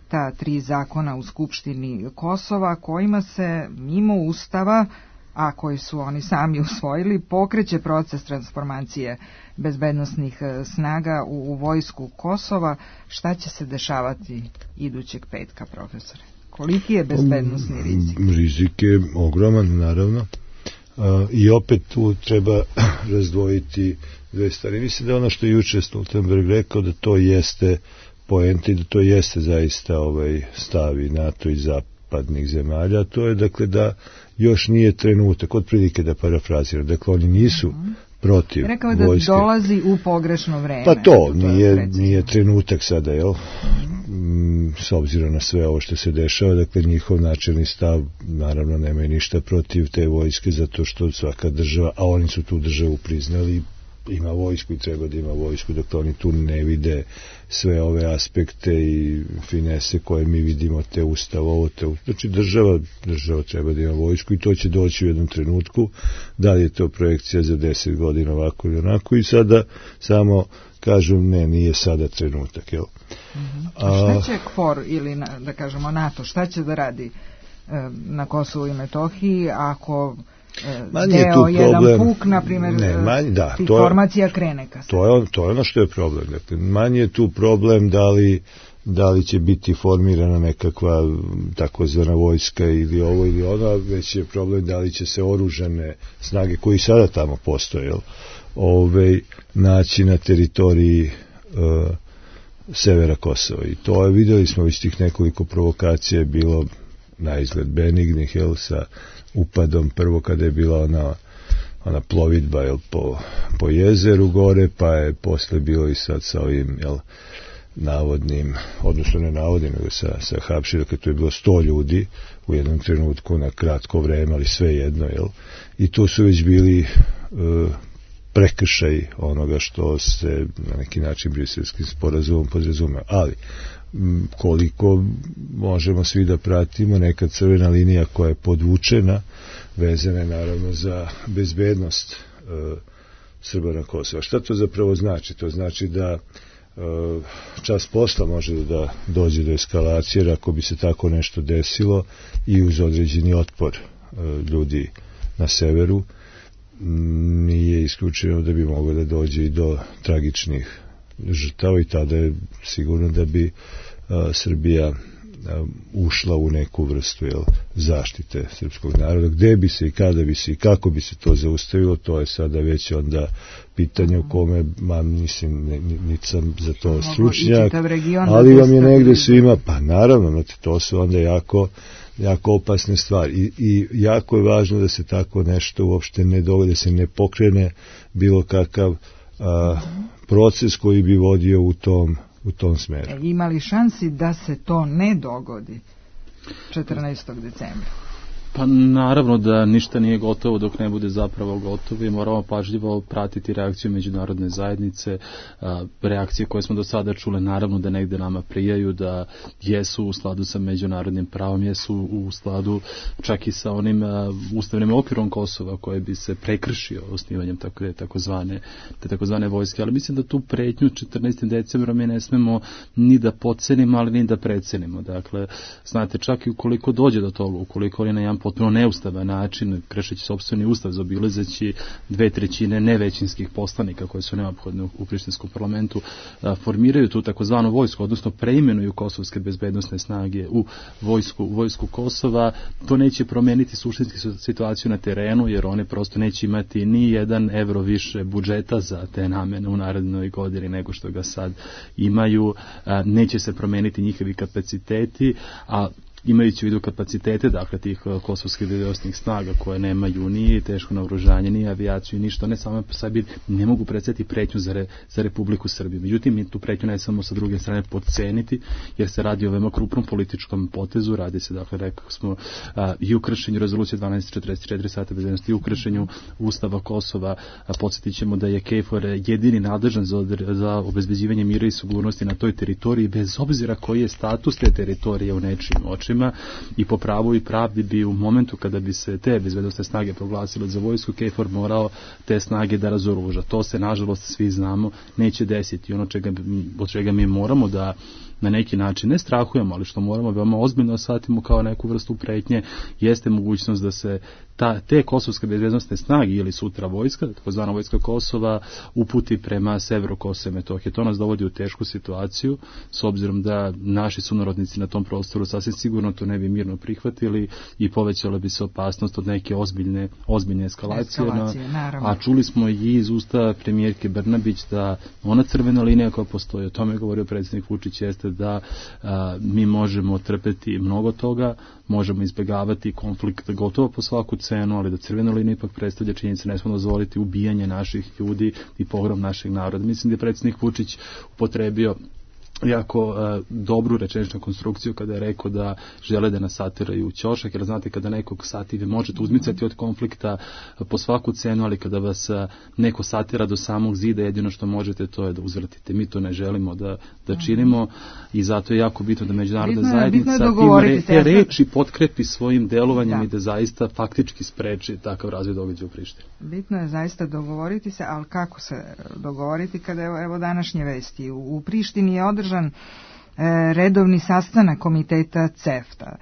ta 3 zakona u Skupštini Kosova, kojima se mimo Ustava, a koji su oni sami usvojili, pokreće proces transformacije bezbednosnih snaga u vojsku Kosova. Šta će se dešavati idućeg petka, profesore? Koliki je bezbednosni rizik? Rizik je ogroman, naravno. I opet tu treba razdvojiti dve stvari. Mislim da ono što je juče Stoltenberg rekao, da to jeste poenta i da to jeste zaista stav i NATO i zapadnih zemalja, to je dakle da još nije trenutak, otprilike da parafraziram, dakle oni nisu protiv vojske. Rekao je da dolazi u pogrešno vreme. Pa to nije trenutak sada, jel? S obzirom na sve ovo što se dešava, dakle njihov načelni stav naravno nema ništa protiv te vojske, zato što svaka država, a oni su tu državu priznali, ima vojsku i treba da ima vojsku, dakle oni tu ne vide sve ove aspekte i finese koje mi vidimo, te ustav, znači država treba da ima vojsku i to će doći u jednom trenutku. Da li je to projekcija za 10 godina ovako ili onako, i sada samo kažu ne, nije sada trenutak, jel? Šta će KFOR ili da kažemo NATO, šta će da radi na Kosovu i Metohiji ako deo jedan puk, na primjer, tih formacija krene kasnije? To je ono što je problem. Dakle, manje je tu problem da li će biti formirana nekakva takozvana vojska ili ovo ili ono, već je problem da li će se oružane snage koji sada tamo postoje, naći na teritoriji severa Kosova. I to je, vidjeli smo već tih nekoliko provokacija, je bilo na izgled benignih, sa upadom prvo kada je bila ona plovidba po jezeru gore, pa je posle bilo i sad sa ovim navodnim, odnosno ne navodnim, nego sa hapšenjem, kad tu je bilo 100 ljudi u jednom trenutku na kratko vreme, ali sve jedno, i to su već bili prekršaj onoga što se na neki način briselskim sporazumom podrazumeva. Ali koliko možemo svi da pratimo, neka crvena linija koja je podvučena, vezana je naravno za bezbednost Srba na Kosovu. Šta to zapravo znači? To znači da čas posla može da dođe do eskalacije, jer ako bi se tako nešto desilo i uz određeni otpor ljudi na severu, nije isključeno da bi moglo da dođe i do tragičnih žrtava, i tada je sigurno da bi Srbija ušla u neku vrstu zaštite srpskog naroda. Gde bi se i kada bi se i kako bi se to zaustavilo, to je sada već onda pitanje u kome, mislim, niti sam za to stručnjak, ali vam je negde svima, pa naravno, to su onda jako opasne stvari i jako je važno da se tako nešto uopšte ne dogodi, da se ne pokrene bilo kakav proces koji bi vodio u tom smeru. Ima li šansi da se to ne dogodi 14. decembra? Pa naravno da ništa nije gotovo dok ne bude zapravo gotovo i moramo pažljivo pratiti reakciju međunarodne zajednice, reakcije koje smo do sada čule, naravno da negde nama prijaju, da jesu u skladu sa međunarodnim pravom, jesu u skladu čak i sa onim ustavnim okvirom Kosova koje bi se prekršio osnivanjem takozvane vojske, ali mislim da tu pretnju 14. decembra mi ne smemo ni da podcenimo, ali ni da precenimo. Dakle, znate, čak i ukoliko dođe do toga, ukoliko oni na jedan potpuno neustavan način, kršeći sopstveni ustav, zaobilazeći 2/3 nevećinskih poslanika koji su neophodni u prištinskom parlamentu, formiraju tu takozvanu vojsku, odnosno preimenuju kosovske bezbednosne snage u vojsku Kosova, to neće promeniti suštinsku situaciju na terenu, jer one prosto neće imati ni €1 više budžeta za te namene u narednoj godini nego što ga sad imaju, neće se promeniti njihovi kapaciteti, a imajući u vidu kapacitete, dakle, tih kosovskih bezbednosnih snaga koje nemaju ni teško naoružanje, ni avijaciju, ništa, ne samo po sebi ne mogu predstaviti pretnju za Republiku Srbiju. Međutim, mi tu pretnju ne samo sa druge strane podceniti, jer se radi o veoma krupnom političkom potezu, radi se, dakle, rekao smo, i u kršenju rezolucije 1244 Saveta bezbednosti, i u kršenju Ustava Kosova. Podsjetit ćemo da je KFOR jedini nadležan za obezbeđivanje mira i sigurnosti na toj teritoriji, bez obzira koji je status te teritorije u nečijim očima, i po pravu i pravdi bi u momentu kada bi se te bezbednosne snage proglasile za vojsku, KFOR morao te snage da razoruža. To se, nažalost, svi znamo, neće desiti. Ono od čega mi moramo da na neki način ne strahujemo, ali što moramo veoma ozbiljno shvatimo kao neku vrstu pretnje, jeste mogućnost da se te kosovske bezbednosne snage ili sutra vojska, takozvana vojska Kosova, uputi prema severu Kosova i Metohije. To nas dovodi u tešku situaciju, s obzirom da naši sunarodnici na tom prostoru sasvim sigurno to ne bi mirno prihvatili i povećala bi se opasnost od neke ozbiljne eskalacije. A čuli smo i iz usta premijerke Brnabić da ona crvena linija koja postoji, o tome je govorio predsjednik Vučić, jeste da mi možemo trpeti mnogo toga, možemo izbjegavati konflikt gotovo po svaku cenu, ali da crvena linija ipak predstavlja činjenice, ne smemo dozvoliti ubijanje naših ljudi i pogrom našeg naroda. Mislim da je predsjednik Vučić upotrebio jako dobru rečeničnu konstrukciju kada je rekao da žele da nas satiraju u ćošak, jer znate, kada nekog satire možete uzmicati od konflikta po svaku cenu, ali kada vas neko satira do samog zida, jedino što možete to je da uzvratite. Mi to ne želimo da činimo i zato je jako bitno da međunarodna zajednica te reči potkrepi svojim delovanjem i da zaista faktički spreči takav razvoj događaja u Prištini. Bitno je zaista dogovoriti se, ali kako se dogovoriti kada evo današnje vesti. U Prištini je održan redovni sastanak komiteta CEFTA.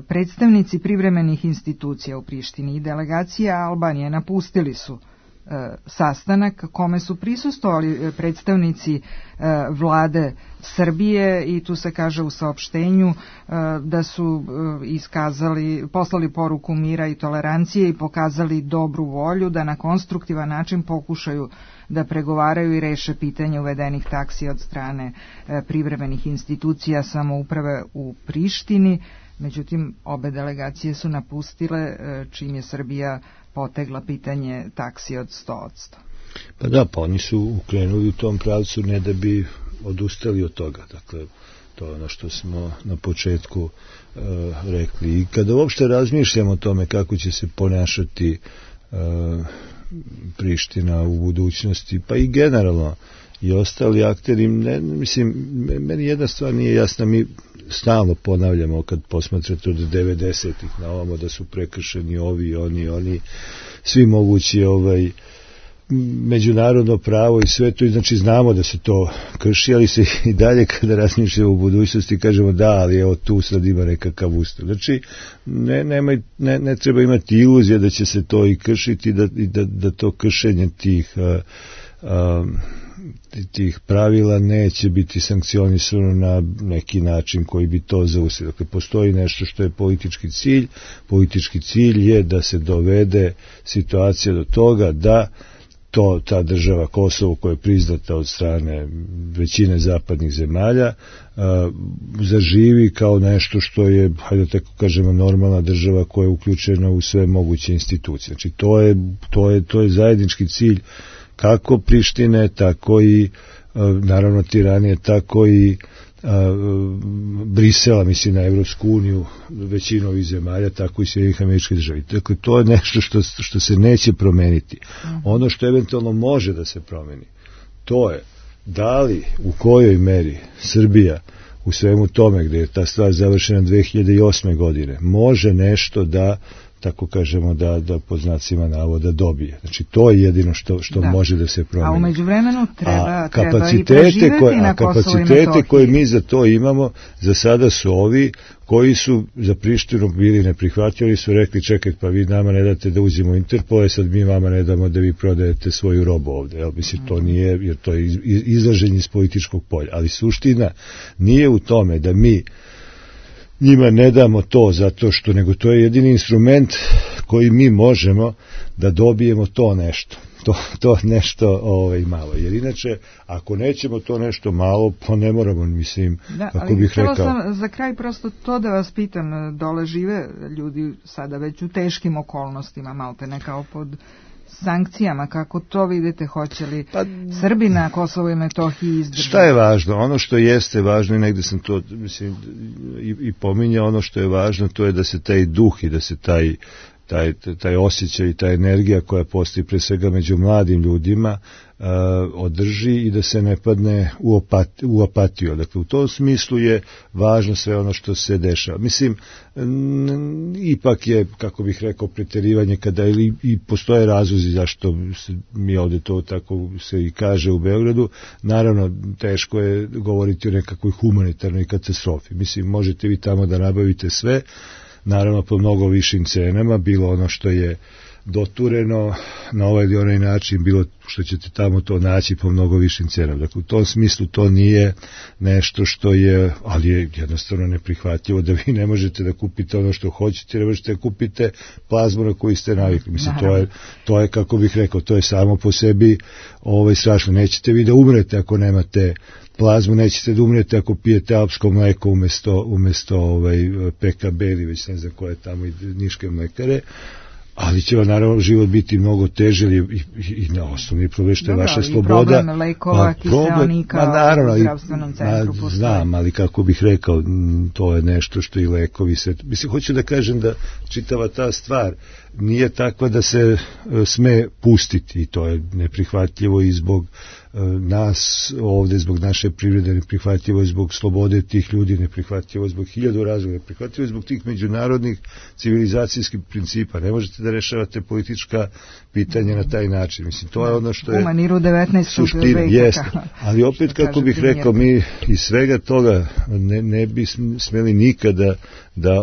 Predstavnici privremenih institucija u Prištini i delegacija Albanije napustili su sastanak kome su prisustvovali predstavnici vlade Srbije i tu se kaže u saopštenju da su poslali poruku mira i tolerancije i pokazali dobru volju da na konstruktivan način pokušaju da pregovaraju i reše pitanje uvedenih taksi od strane privremenih institucija samouprave u Prištini. Međutim, obe delegacije su napustile čim je Srbija potegla pitanje taksi od 100%. Pa da, pa oni su ukrenuli u tom pravcu ne da bi odustali od toga. Dakle, to je ono što smo na početku rekli. I kada uopšte razmišljamo o tome kako će se ponašati Priština u budućnosti, pa i generalno i ostali akteri, meni jedna stvar nije jasna, mi stalno ponavljamo kad posmatrate od 90-ih na ovamo da su prekršeni ovi, oni, svi mogući međunarodno pravo i sve to, i znači znamo da se to krši, ali se i dalje kada razmišljamo u budućnosti kažemo da, ali evo tu sad ima nekakav ustav. Znači ne treba imati iluzije da će se to i kršiti, da to kršenje tih pravila neće biti sankcionisano na neki način koji bi to zaustavio. Dakle, postoji nešto što je politički cilj. Politički cilj je da se dovede situacija do toga da ta država Kosovo koja je priznata od strane većine zapadnih zemalja zaživi kao nešto što je, hajde tako kažemo, normalna država koja je uključena u sve moguće institucije. Znači to je zajednički cilj kako Prištine, tako i naravno Tiranije, tako i Brisela, mislim na Evropsku uniju, većinu ovih zemalja, tako i Sjedinjenih Američkih Država. Dakle, to je nešto što se neće promeniti. Ono što eventualno može da se promeni, to je da li, u kojoj meri Srbija u svemu tome, gde je ta stvar završena 2008. godine, može nešto da, tako kažemo, da pod znacima navoda dobije. Znači, to je jedino što može da se promeni. A u međuvremenu treba i preživeti na Kosovo i Metohiji. Kapacitete koje mi za to imamo, za sada su ovi koji su za Prištinu bili neprihvatljivi, su rekli čekaj, pa vi nama ne date da uđemo u Interpol, sad mi vama ne damo da vi prodajete svoju robu ovde. Jel, mislim, to nije, jer to je izlaženje iz političkog polja. Ali suština nije u tome da mi njima ne damo to zato što, nego to je jedini instrument koji mi možemo da dobijemo to nešto. To nešto malo. Jer inače, ako nećemo to nešto malo, pa ne moramo, mislim, kako bih rekao. Sam za kraj prosto to da vas pitam, dole žive ljudi sada već u teškim okolnostima, malte ne kao pod sankcijama, kako to vidite, hoće li Srbi na Kosovo i Metohiji izdržati? Šta je važno? Ono što jeste važno, i negde sam to, mislim, i pominjao, ono što je važno, to je da se taj duh i da se taj osjećaj i ta energija koja postoji pre svega među mladim ljudima održi i da se ne padne u apatiju. Dakle, u tom smislu je važno sve ono što se dešava. Mislim, ipak je, kako bih rekao, preterivanje kada i postoje razlozi zašto mi ovde to tako se i kaže u Beogradu. Naravno, teško je govoriti o nekakvoj humanitarnoj katastrofi. Mislim, možete vi tamo da nabavite sve, naravno po mnogo višim cenama, bilo ono što je dotureno na ovaj ili onaj način, bilo što ćete tamo to naći po mnogo višim cenama. Dakle, u tom smislu to nije nešto što je, ali je jednostavno neprihvatljivo da vi ne možete da kupite ono što hoćete, ne možete da kupite plazmu na koju ste navikli. Mislim, to je, kako bih rekao, to je samo po sebi strašno. Nećete vi da umrete ako nemate plazmu, nećete da umrete ako pijete alpsko mleko umesto PKB ili već ne znam koje tamo i niške mlekare, ali će vam naravno život biti mnogo teže i na osnovni problem što je vaša sloboda. Problem lekova, kiseonika u zdravstvenom centru postoji. Znam, ali kako bih rekao, to je nešto što i lekovi sve. Mislim, hoću da kažem da čitava ta stvar nije takva da se sme pustiti i to je neprihvatljivo i zbog nas ovde, zbog naše privrede, neprihvatljivo je zbog slobode tih ljudi, neprihvatljivo je zbog 1000 razloga, neprihvatljivo je zbog tih međunarodnih civilizacijskih principa. Ne možete da rešavate politička pitanja na taj način. Mislim, to je ono što je suština, jeste. Ali opet, kako bih rekao, mi iz svega toga ne bi smeli nikada da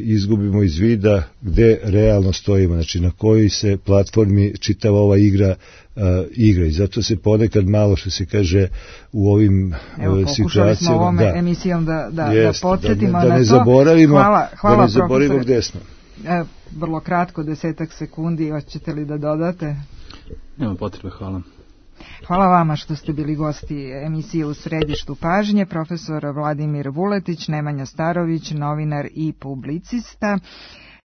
izgubimo iz vida gde realno stojimo, znači na kojoj se platformi čitava ova igra i zato se ponekad malo, što se kaže, u ovim situacijama, pokušali smo ovom emisijom da podsjetimo na to. Da ne zaboravimo, hvala, da ne zaboravimo gde smo. Vrlo kratko, 10 sekundi, hoćete li da dodate? Nema potrebe, hvala. Hvala vama što ste bili gosti emisije U središtu pažnje, profesor Vladimir Vuletić, Nemanja Starović, novinar i publicista.